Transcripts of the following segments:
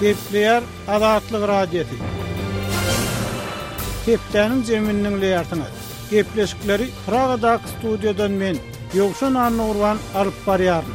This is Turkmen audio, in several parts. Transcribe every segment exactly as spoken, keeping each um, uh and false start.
Gepleýär Azatlyk Radiosy. Hepdäniň jemini diňleýärsiňiz. Gepleşikleri Pragadaky studiýadan men, Ýowşan Annagurban alyp barýaryn.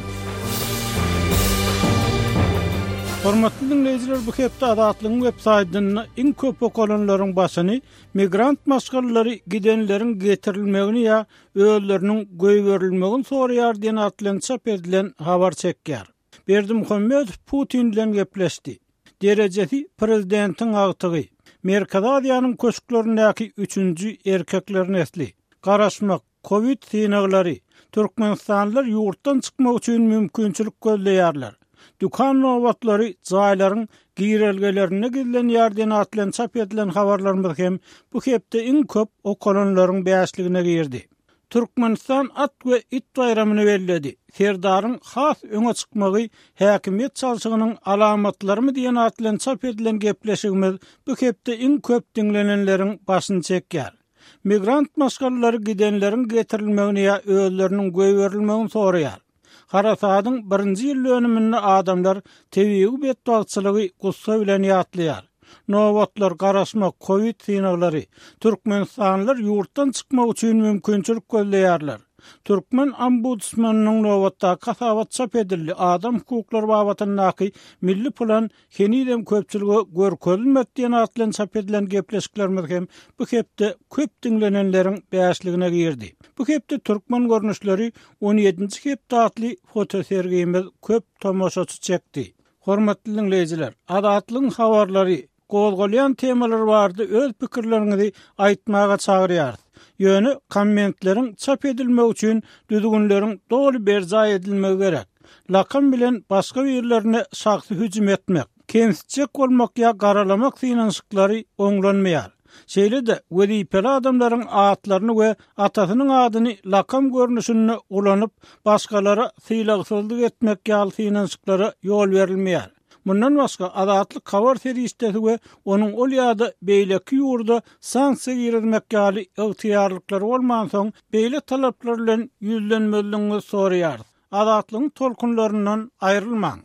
Hormatly dinleýjiler, bu hepde Azatlygyň web saýtynda iň köp okalanlaryň başyny migrant maşgalalary gidenleriň getirilmegini ýa özleriniň goýberilmegini soraýar diýen at bilen çap edilen habar çekýär. Berdimuhamedow Putin bilen gepleşdi. Derejesi prezidentiň agtygy. Merkezi Aziýanyň köşklerindäki üçünji erkekler nesli. Garaşmak, Covid synaglary, Türkmenistanlylar ýurtdan çykmak üçin mümkinçilik gözleýärler. Dükan nobatlary jaýlaryň girelgelerinde gizlenýär diýen at bilen çap edilen habarlarymyz hem bu hepde iň köp okalanlaryň bäşligine girdi. Türkmenistan at we it baýramyny belledi. Serdaryň has öňe çykmagy häkimiýet çalşygynyň alamatlarymy diýen at bilen çap edilen gepleşigimiz bu hepde iň köp diňlenenleriň başyny çekýär. Migrant maşgalalary gidenleriň getirilmegini ýa özleriniň goýberilmegini soraýar. Harasadyň birinji ýyl dönüminde adamlar tebigy betbagtçylygy gussa bilen ýatlaýar. Nobatlar, garaşmak, Covid synaglary, Türkmenistanlylar ýurtdan çykmak üçin mümkinçilik gözleýärler. Türkmen ombudsmanynyň nobatdaky hasabat çap edildi. Adam hukuklary babatyndaky milli plan henizem köpçülige görkezilmedi diýen at bilen çap edilen gepleşiklerimiz hem bu hepde köp diňlenenleriň bäşligine girdi. Bu hepde türkmen görnüşleri on ýedinji hepde atly fotosergimiz köp tomaşaçy çekdi. Hormatly dinleýjiler, Azatlygyň habarlary, gozgalýan temalar barada öz pikirleriňizi aýtmaga çagyrýarys. Ýöne kommentleriň çap edilmegi üçin düzgünleriň doly berjaý edilmegi gerek. Lakam bilen başga birlerine şahsy hüjüm etmek, kemsitjek bolmak ýa garalamak synanyşyklary oňlanmaýar. Şeýle-de wezipeli adamlaryň atlaryny we atasynyň adyny lakam görnüşinde ulanyp, başgalara sylagsyzlyk etmek ýaly synanyşyklara ýol berilmeýär. Mundan başga Azatlyk habar serişdesi we onuň ol ýa-da beýleki ýurda sanksiýa girizmek ýaly ygtyýarlyklary bolmansoň, beýle talaplar bilen ýüzlenmezligiňizi soraýarys. Azatlygyň tolkunlaryndan aýrylmaň.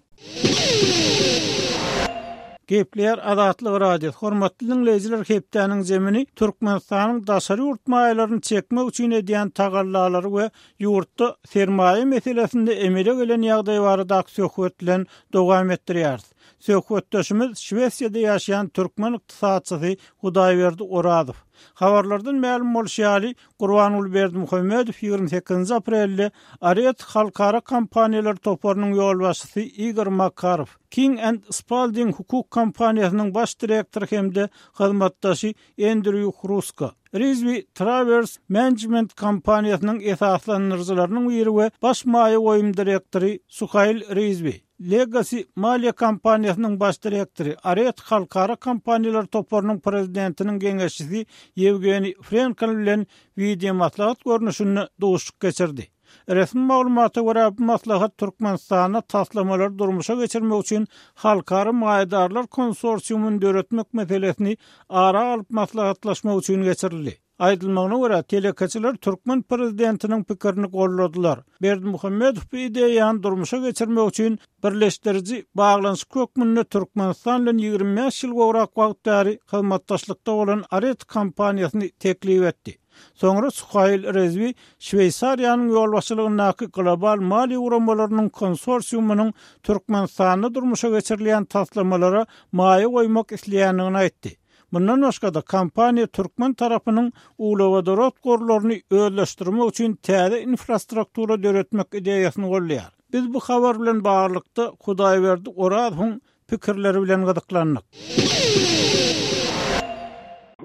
Gepleýär Azatlyk Radiosy. Hormatly dinleýjiler, hepdäniň jemini Türkmenistanyň daşary ýurt maýalaryny çekmek üçin edýän tagallalary we ýurtda sermaýa meselesinde emele gelen ýagdaý baradaky söhbet bilen dowam etdirýäris. Söhbetdeşimiz Şwesiýada ýaşaýan türkmen ykdysatçysy Hudaýberdi Orazow. Habarlardan mälim bolşy ýaly, Gurbanguly Berdimuhamedow ýigrimi sekizinji aprelde Aret halkara kompaniýalar toparynyň ýolbaşçysy Igor Makarow, King and Spalding hukuk kompaniýasynyň baş direktory hem-de hyzmatdaşy Andrew Hruska, Rizvi Travers Management kompaniýasynyň esaslandyryjylarynyň biri we baş maýa goýum direktory Suhail Rizvi, Legacy maliýe kompaniýasynyň baş direktory, Aret halkara kompaniýalar toparynyň prezidentiniň geňeşçisi Ýewgeniý Frenkel bilen video maslahat görnüşinde duşuşyk geçirdi. Resmi maglumata görä bu maslahat Türkmenistanda taslamalary durmuşa geçirmek üçin halkara maýadarlar konsorsiumyny döretmek meselesini ara alyp maslahatlaşmak üçin geçirildi. Aýdylmagyna görä, telekeçiler türkmen prezidentiniň pikirini golladylar. Berdimuhamedow bu ideýany durmuşa geçirmek üçin birleşdiriji baglanyşyk hökmünde Türkmenistan bilen ýigrimi bäş ýyl gowrak wagt bäri hyzmatdaşlykda bolan Aret kompaniýasyny teklip etdi. Soňra Suhail Rezwi Şweýsariýanyň ýolbaşçylygyndaky global maliýe guramalarynyň konsorsiumynyň Türkmenistanda durmuşa geçirilýän taslamalara maýa goýmak isleýändigini aýtdy. Mundan başga-da kompaniýa türkmen tarapynyň uglewodorod gorlaryny özleşdirmek üçin täze infrastruktura döretmek ideýasyny goldaýar. Biz bu habar bilen baglylykda Hudaýberdi Orazowyň pikirleri bilen gyzyklandyk.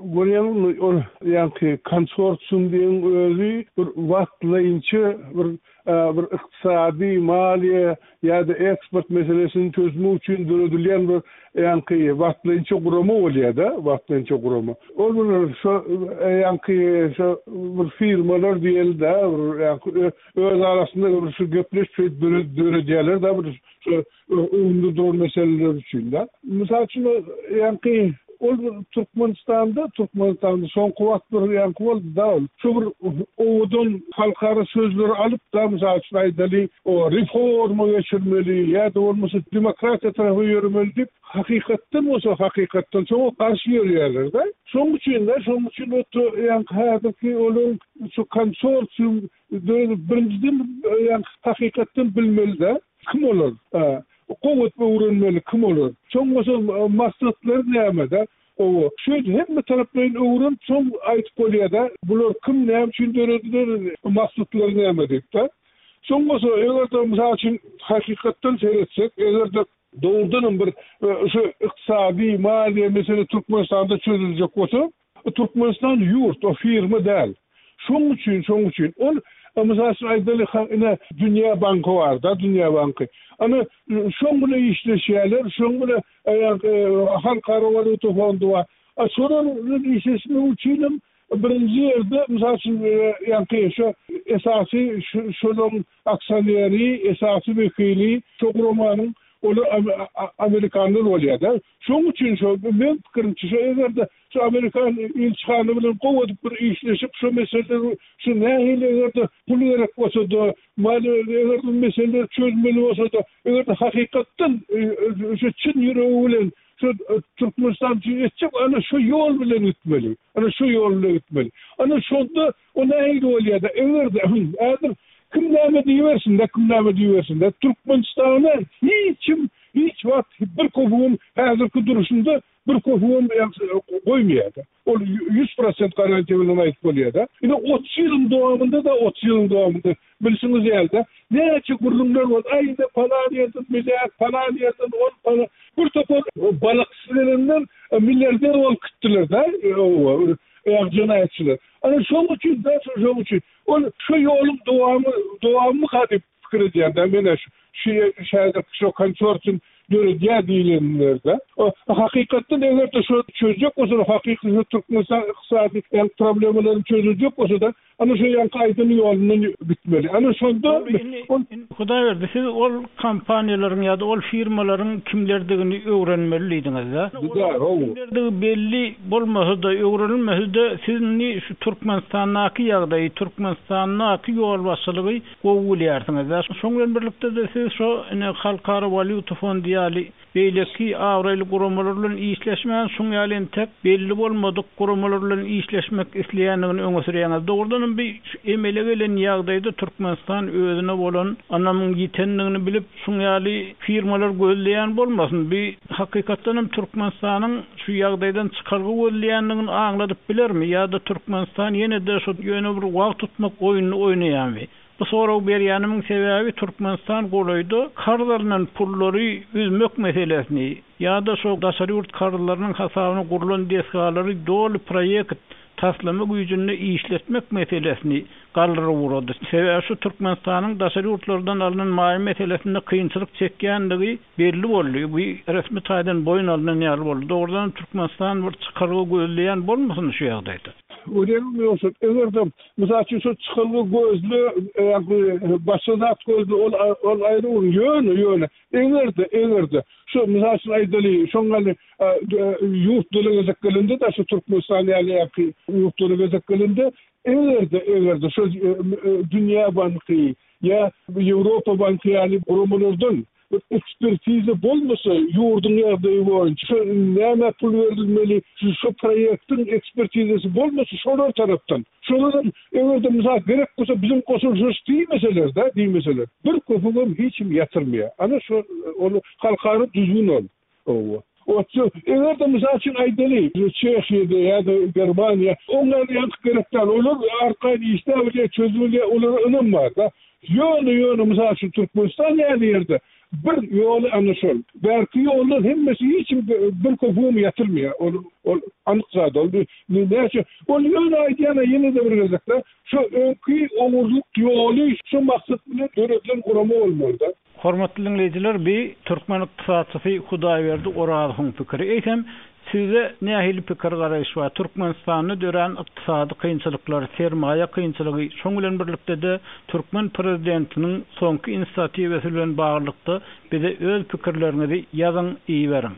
Görýäňizmi, ol ýaňky konsorsium diýen özi bir wagtlaýynça bir, e, bir ykdysady, maliýe ýa-da eksport meselesini çözmek üçin döredilýän bir ýaňky wagtlaýynça gurama bolýar-da, wagtlaýynça gurama. Ol bir şo, e, ýaňky şo bir firmalar diýeli-de, bir ýaňky ö-, öz arasynda bir şu gepleşip döre-, döredýärler-de, bir şu öňünde duran meseleler üçin-de. Mysal üçin, ýaňky Ol Türkmenistanda, Türkmenistanda soňky wagt bir ýaňky boldy-da ol. Şu bir owadan halkara sözleri alyp-da, mysal üçin aýdaly, o reforma geçirmeli ýa-da bolmasa demokratiýa tarapa ýöremeli diýip, hakykatdan bolsa hakykatdan şoňa garşy ýörýärler-de. Şonuň üçin-de, şonuň üçin ýaňky häzirki olaryň şu konsorsium döredip birinjiden ýaňky hakykatdan bilmeli-de, kim olar? Gowy öwrenmeli kim olar? Soň bolsa maksatlary näme-de? Owa, şu hemme taraplaýyn öwrenip soň aýdyp bolýar-da, bular kim, näme üçin dörediler, maksatlary näme diýip-de. Soň bolsa eger-de mysal üçin hakykatdan seretsek, eger-de dogrudanam bir şu ykdysady, maliýe mesele Türkmenistanda çözüljek bolsa, Türkmenistan ýurt, o firma däl. Şonuň üçin, şonuň üçin ol mysal üçin aýdaly, ine Dünýä banky bar-da, Dünýä banky. Ana şoň bilen işleşýärler, şoň bilen Halkara walýuta fondy bar. A şolar bilen işleşmek üçin hem birinji ýerde mysal üçin ýaňky şu esasy şolaryň aksioneri, esasy wekili şu guramanyň olar amerikanlar bolýar-da. Şonuň üçin şo men pikirimçe şo eger-de şu amerikan ilçihana bilen gowy edip bir işleşip şu meseleleri şu nähili eger-de pul gerek bolsa-da, maliýe eger-de meseleleri çözmeli bolsa-da, eger-de hakykatdan şu çyn ýüregi bilen şu Türkmenistan üçin etjek, ana şu ýol bilen gitmeli. Ana şu ýol bilen gitmeli. Ana şonda o nähili bolýar-da, eger-de häzir kim näme diýibersin-de, kim näme diýibersin-de, Türkmenistana hiç kim hiç wagt bir köpügem häzirki duruşynda bir köpügem goýmaýar-da. Ol ýüz prosent garantiýa bilen aýdyp bolýar-da. Ine otuz ýylyň dowamynda-da, otuz ýylyň dowamynda bilşiňiz ýaly-da, näçe gürrüňler boldy. Aý, ine palan ýerden milliard, palan ýerden ol, palan. Bir topar balykçy gelenler milliarder bolup gitdiler-de, ýa jenaýatçylar. Ana şonuň üçin, da, şonuň üçin ol şu ýoluň dowamy, dowamyka diýip pikir edýän-de, men şu şu şäher şu konsorsium döredýär diýilenlerde. O hakykatdan eger-de şu çözjek bolsa, hakyky Türkmenistan ykdysady ýa problemalaryny çözüljek bolsa-da, ana şu ýaňky aýdan ýolundan gitmeli. Ana şonda ol Hudaýberdi, siz ol kompaniýalaryň ýa-da ol firmalaryň kimlerdigini öwrenmeli diýdiňiz-de. Kimlerdigi belli bolmasa-da, öwrenilmese-de, siz indi şu Türkmenistandaky ýagdaýy, Türkmenistandaky ýolbaşçylygy gowy bilýärsiňiz-de. Şoň bilen birlikde-de siz şo ine Halkara walýuta fondy ýaly beýleki abraýly guramalar bilen işleşmän, şuň ýaly entek belli bolmadyk guramalar bilen işleşmek isleýändigini öňe sürýäňiz. Dogrudanam bir şu emele gelen ýagdaýda Türkmenistan özüne bolan ynamyň ýitendigini bilip, şuň ýaly firmalar gözleýän bolmasyn. Bir hakykatdanam Türkmenistanyň şu ýagdaýdan çykalga gözleýändigini aňladyp bilermi ýa-da Türkmenistan ýene-de şu ýöne bir wagt tutmak oýnuny oýnaýarmy? Bu sorag berýänimiň sebäbi Türkmenistan golaýda karz alynan pullary üzmek meselesini ýa-da şo daşary ýurt karzlarynyň hasabyna gurlan desgalary doly proýekt taslama güýjünde işletmek meselesini galdyryp ugrady. Sebäbi şu Türkmenistanyň daşary ýurtlardan alynan maýa meselesinde kynçylyk çekýändigi belli boldy. Bu resmi taýdan boýun alynan ýaly boldy. Dogrudan Türkmenistan bir çykalga gözleýän bolmasyn şu ýagdaýda? Görýäňmi ýogsa, eger-de mysal üçin şu çykalga gözle, ýa-da başga zat gözle, ol ol aýry bir ýöne, ýöne eger-de, eger-de şu mysal üçin aýdaly, şoň ýaly ýurtlara gezek gelende-de şu Türkmenistan ýaly ýa-ki ýurtlara gezek gelende, eger-de, eger-de şu Dünýä banky ýa Ýewropa banky ýaly guramalardan bir ekspertiza bolmasa ýurduň ýagdaýy boýunça şu näme pul berilmeli, şu, şu proýektiň ekspertizasy bolmasa şolar tarapdan. Şolar eger-de mysal gerek bolsa biziň goşulyşyş diýmeseler-de, diýmeseler, bir köpügem hiç kim ýatyrmaýar. Ana şu ol halkara düzgün ol. Owa. Otsa, eger-de mysal üçin aýdaly, Çehiýada ýa-da Germaniýa, oňlar ýaňky gerek däl, olar arkaýyn işläp bilýär, çözüp bilýär, olara ynam bar-da. Ýöne, ýöne mysal üçin Türkmenistan ýaly ýerde bir ýoly ana şol. Bärki ýollar hemmesi hiç kim bir köpügem ýatyrmaýar. Ol, ol anyk zat ol. Näçe, ol ýöne aýdýan ýene-de bir gezekde, şu öňki ogurlyk ýoly şu maksat bilen döredilen gurama bolmaly-da. Hormatly dinleýjiler, bi türkmen ykdysatçysy Hudaýberdi Orazowyň pikiri. Eýsem, sizde nähili pikir garaýyş bar? Türkmenistanda dörän ykdysady kynçylyklar, sermaýa kynçylygy, şoň bilen birlikde-de türkmen prezidentiniň soňky inisiatiwasy bilen baglylykda bize öz pikirleriňizi ýazyň, iberiň.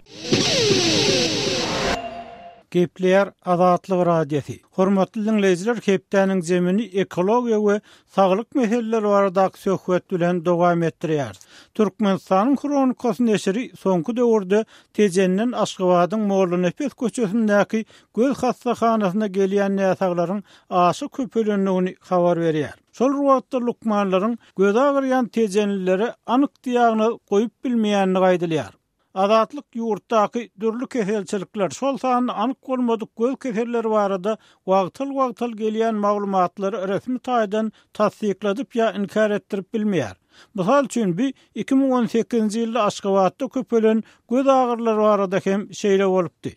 Gepleýär Azatlyk Radiosy. Hormatly dinleýjiler, hepdäniň zemini ekologiýa we saglyk meseleleri baradaky söhbet bilen dowam etdirýär. Türkmenistanyň Hronikasy neşiri soňky döwürde Tejenden Aşgabadyň Mollanepes köçesindäki göz hassahanasyna gelýän näsaglaryň aşa köpelendigini habar berýär. Şol wagtda lukmanlaryň göz agyrýan tejenlilere anyk diagnoz goýup bilmeýänligi aýdylýar. Azatlyk ýurtdaky dürli keselçilikler, şol sanda anyk bolmadyk göz keselleri barada wagtal-wagtal gelýän maglumatlary resmi taýdan tassykladyp ýa inkär etdirip bilmeýär. Mysal üçin bi iki müň on sekizinji ýylda Aşgabatda köpelen göz agyrlary barada hem şeýle bolupdy.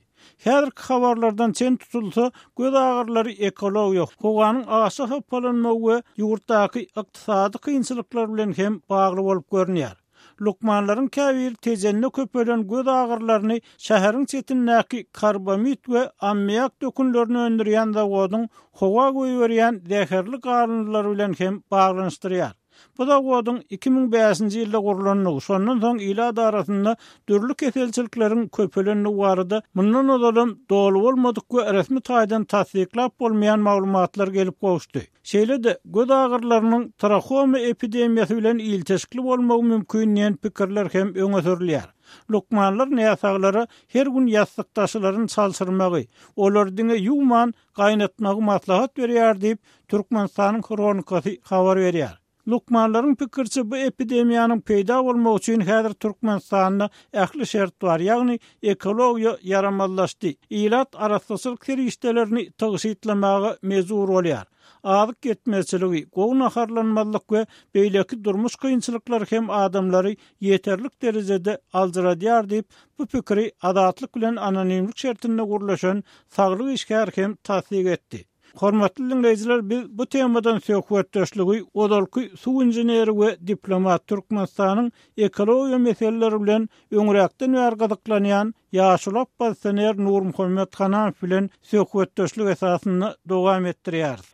Häzirki habarlardan çen tutulsa, göz agyrlary ekologiýa, howanyň aşa hapalanmagy we ýurtdaky ykdysady kynçylyklar bilen hem bagly bolup görünýär. Lukmanlaryň käbiri tejende köpelen göz agyrlaryny şäheriň çetindäki karbamid we ammiak dökünlerini öndürýän zawodyň howa goýberýän zäherli galyndylar bilen hem baglanyşdyrýar. Bu zawodyň iki müň bäşinji ýylda gurlandygy, şondan soň ilat arasynda dürli keselçilikleriň köpelendigi barada mundan ozalam doly bolmadyk we resmi taýdan tassyklap bolmaýan maglumatlar gelip gowuşdy. Şeýle-de göz agyrlarynyň trahoma epidemiýasy bilen ilteşikli bolmagy mümkin diýen pikirler hem öňe sürülýär. Lukmanlar näsaglara her gün ýassykdaşlaryny çalşyrmagy, olar diňe ýuwman gaýnatmagy maslahat berýär diýip Türkmenistanyň Hronikasy habar berýär. Lukmanlaryň pikirçe bu epidemiýanyň peýda bolmagy üçin häzir Türkmenistanda ähli şert bar, ýagny ekologiýa ýaramazlaşdy. Ilat arassaçylyk serişdelerini tygşytlamaga mejbur bolýar. Azyk ýetmezçiligi, gowy naharlanmazlyk we beýleki durmuş kynçylyklary hem adamlary ýeterlik derejede aldyradýar diýip, bu pikiri Azatlyk bilen anonimlik şertinde gurlaşan saglyk işgäri hem tassyk etdi. Hormatly dinleýjiler, biz bu temadan söhbetdeşligi ozalky suw inženeri we diplomat Türkmenistanyň ekologiýa meseleleri bilen öňräkden bäri gyzyklanýan ýaşuly oppozisioner Nurmuhammet Hanamow bilen söhbetdeşlik esasynda dowam etdirýäris.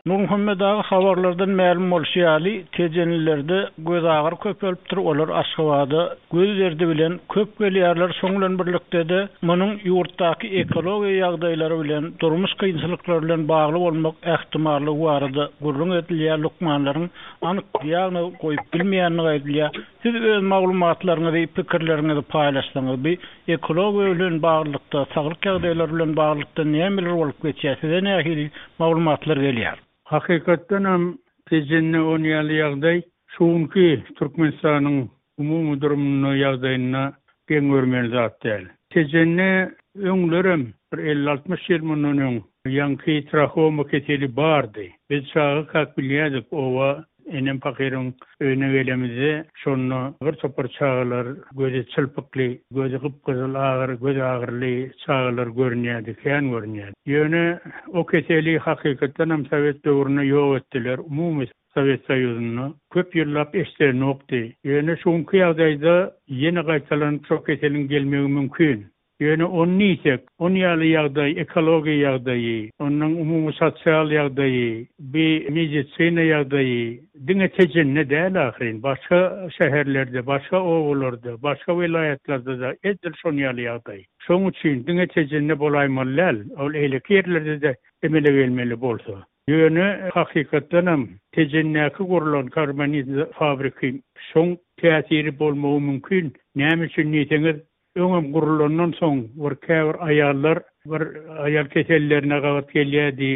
Nurmuhammet aga, habarlardan mälim bolşy ýaly, tejenlilerde göz agyr köpelipdir, olar Aşgabada göz derdi bilen köp gelýärler. Şoň bilen birlikde-de munuň ýurtdaky ekologiýa ýagdaýlary bilen, durmuş kynçylyklary bilen bagly bolmak ähtimallygy barada gürrüň edilýär. Lukmanlaryň anyk diagnoz goýup bilmeýänligi aýdylýar. Siz öz maglumatlaryňyzy, pikirleriňizi paýlaşsaňyz, bu ekologiýa bilen baglylykda, saglyk ýagdaýlary bilen baglylykda nämeler bolup geçýär? Size nähili maglumatlar gelýär? Hakykatdan hem Tejende on ýaly ýagdaý şuňky Türkmenistanyň umumy durumunda ýagdaýyna geň görmeli zat däl. Tejende öňlerem bir elli altmyş ýyl mundan öň ýaňky trahoma keseli bardy. Biz çaga kak bilýärdik, owa enem pahyryň öýüne gelemizde şonda bir topar çagalar gözi çylpykly, gözi gypgyzyl agyr, göz agyrly çagalar görünýärdi, kän görünýärdi. Ýöne o keseli hakykatdan hem Sowet döwründe ýok etdiler. Umumy Sowet Soýuzynda köp ýyllap eşdelenokdy. Ýöne şuňky ýagdaýda ýene gaýtalanyp şo keseliň gelmegi mümkin. Ýöne on diýsek, on ýaly ýagdaý, ekologiýa ýagdaýy, onuň umumy sosial ýagdaýy, bi medisina ýagdaýy diňe Tejende däl ahyryn, başga şäherlerde, başga obalarda, başga welaýatlarda da edil şon ýaly ýagdaý. Şoň üçin diňe Tejende bolaýmaly däl, ol eýleki ýerlerde de emele gelmeli bolsa. Ýöne hakykatdan hem Tejendäki gurlan karbonid fabriki şoň täsiri bolmagy mümkin. Näme üçin diýseňiz, öňem gurulandan soň bir käbir aýallar bir aýal kesellerine gabat gelýärdi,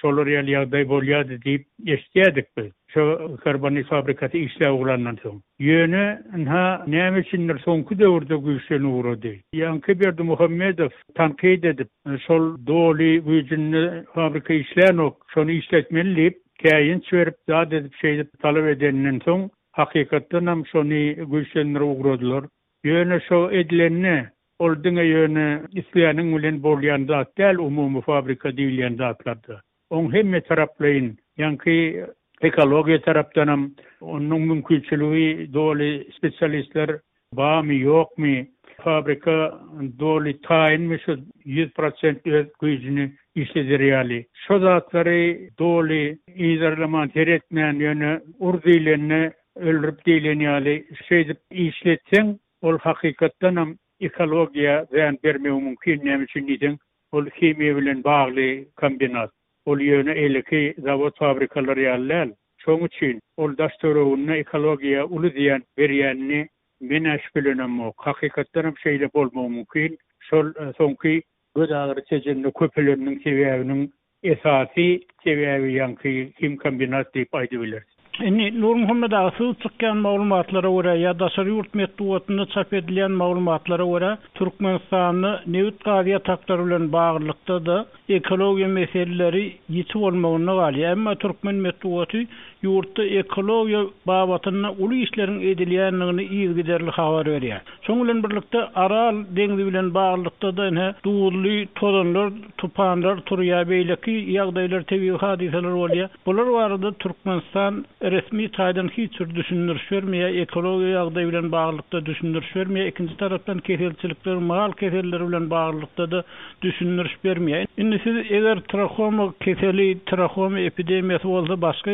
şolar ýaly ýagdaý bolýardy diýip eşitýärdik biz. Şo karbonid fabrikasy işläp ugrandan soň. Ýöne ynha näme üçindir soňky döwürde güýçlenip ugrady. Ýaňky Berdimuhamedow tankyt edip, şol doly güýjünde fabrika işlänok, şony işletmeli diýip, käýinç berip, zat edip, şeýdip talap edenden soň hakykatdan hem şony güýçlendirip ugradylar. Ýöne şo edilende ol diňe ýöne isleýäniň bilen bolýan zat däl, umumy fabrika diýilýän zatlarda. Oň hemme taraplaýyn, ýaňky ekologiýa tarapdan hem onuň mümkinçiligi doly spesialistler barmy, ýokmy, fabrika doly taýynmy şu ýüz prosent öz güýjüni işleder ýaly. Şo zatlary doly yzarlaman, seretmän, ýöne ur diýlende öldürip diýlen ýaly şeýdip işletseň, ol hakykatdan hem ekologiýa zyýan bermegi mümkin, näme üçin diýseň, ol himiýa bilen bagly kombinat. Ol ýöne eýleki zawod-fabrikalar ýaly däl. Şonuň üçin ol daş-töwereginde ekologiýa uly zyýan berýänini men-ä şübhelenemok. Hakykatdanam şeýle bolmagy mümkin. Şol soňky göz agyry Tejende köpeleniniň sebäbiniň esasy sebäbi ýaňky himkombinat diýip aýdybileris. Indi Nurmuhammet aga syzyp çykýan maglumatlara görä ýa daşary ýurt metbugatynda çap edilýän maglumatlara görä Türkmenistanda nebit-gaz ýataklary bilen baglylykda-da ekologiýa meseleleri ýiti bolmagynda galýar. Emma türkmen metbugaty ýurtda ekologiýa babatynda uly işleriň edilýändigini yzygiderli habar berýär. Şonuň bilen birlikde Aral deňzi bilen baglylykda-da ine duzly tozanlar, tupanlar turýar, beýleki ýagdaýlar, tebigy hadysalar bolýar. Bular barada Türkmenistan resmi taýdan hiç bir düşündiriş bermeýär, ekologiýa ýagdaýy bilen baglylykda düşündiriş bermeýär. Ikinji tarapdan keselçilikler, mal keselleri bilen baglylykda-da düşündiriş bermeýär. Indi siz eger trahoma keseli, trahoma epidemiýasy bolsa başga